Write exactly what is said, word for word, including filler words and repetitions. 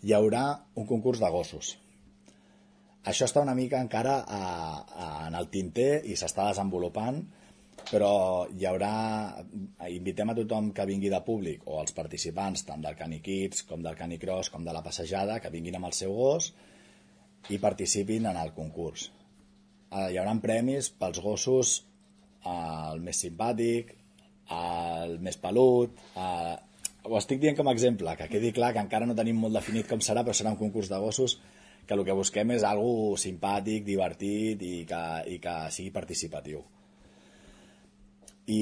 hi haurà un concurs de gossos. Això està una mica encara a, a, en el tinter i s'està desenvolupant, però hi haurà... Invitem a tothom que vingui de públic o als participants tant del Canikids com del Canicross com de la passejada que vinguin amb el seu gos i participin en el concurs. Eh, hi haurà premis pels gossos, eh, el més simpàtic, el més pelut... Eh, ho estic dient com a exemple, que quedi clar que encara no tenim molt definit com serà, però serà un concurs de gossos que el que busquem és algo simpàtic, divertit i que, i que sigui participatiu. I